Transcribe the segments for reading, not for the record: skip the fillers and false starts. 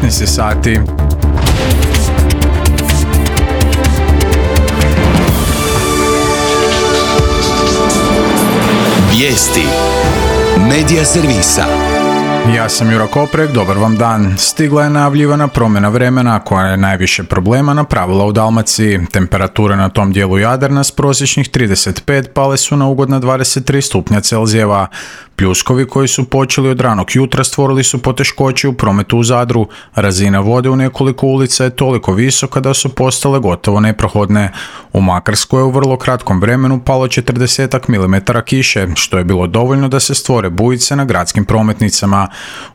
15 sati. Vijesti Medija servisa. Ja sam Juro Koprek, dobar vam dan. Stigla je najavljivana promjena vremena koja je najviše problema napravila u Dalmaciji. Temperature na tom dijelu Jadrana s prosječnih 35 pale su na ugodna 23 stupnja Celzijeva. Pljuskovi koji su počeli od ranog jutra stvorili su poteškoće u prometu u Zadru. Razina vode u nekoliko ulica je toliko visoka da su postale gotovo neprohodne. U Makarskoj je u vrlo kratkom vremenu palo 40 mm kiše, što je bilo dovoljno da se stvore bujice na gradskim prometnicama.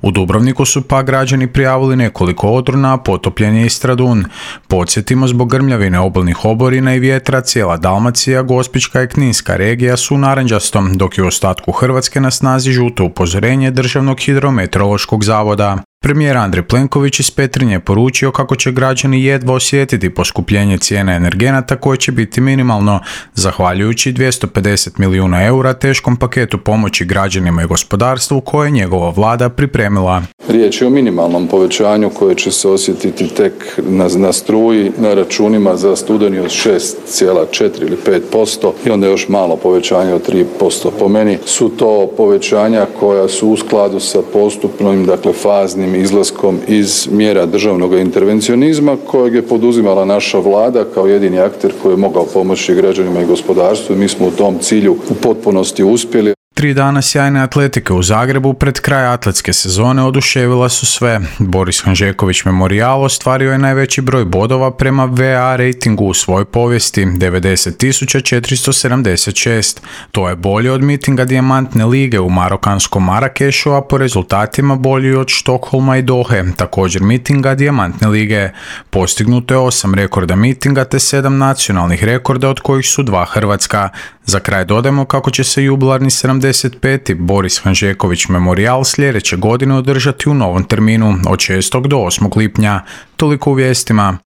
U Dubrovniku su pa građani prijavili nekoliko odrona, a potopljen je i Stradun. Podsjetimo, zbog grmljavine obalnih oborina i vjetra cijela Dalmacija, Gospićka i Kninska regija su u narančastom, dok je u ostatku Hrvatske na snazi žuto upozorenje Državnog hidrometeorološkog zavoda. Premijer Andrej Plenković iz Petrinje je poručio kako će građani jedva osjetiti poskupljenje cijena energenata koje će biti minimalno, zahvaljujući 250 milijuna eura teškom paketu pomoći građanima i gospodarstvu koje je njegova vlada pripremila. Riječ je o minimalnom povećanju koje će se osjetiti tek na struji, na računima za studeni od 6,4 ili 5% i onda još malo povećanje od 3%. Po meni su to povećanja koja su u skladu sa postupnim, faznim izlaskom iz mjera državnog intervencionizma kojeg je poduzimala naša vlada kao jedini akter koji je mogao pomoći građanima i gospodarstvu i mi smo u tom cilju u potpunosti uspjeli. 3 dana sjajne atletike u Zagrebu pred kraj atletske sezone oduševila su sve. Boris Hanžeković Memorijal ostvario je najveći broj bodova prema VA rejtingu u svojoj povijesti, 90.476. To je bolje od mitinga Dijamantne lige u marokanskom Marakešu, a po rezultatima bolji od Štokholma i Dohe, također mitinga Dijamantne lige. Postignuto je 8 rekorda mitinga te 7 nacionalnih rekorda, od kojih su 2 hrvatska. Za kraj dodajmo kako će se jubilarni 75. Boris Hanžeković Memorijal sljedeće godine održati u novom terminu od 6. do 8. lipnja. Toliko u vijestima.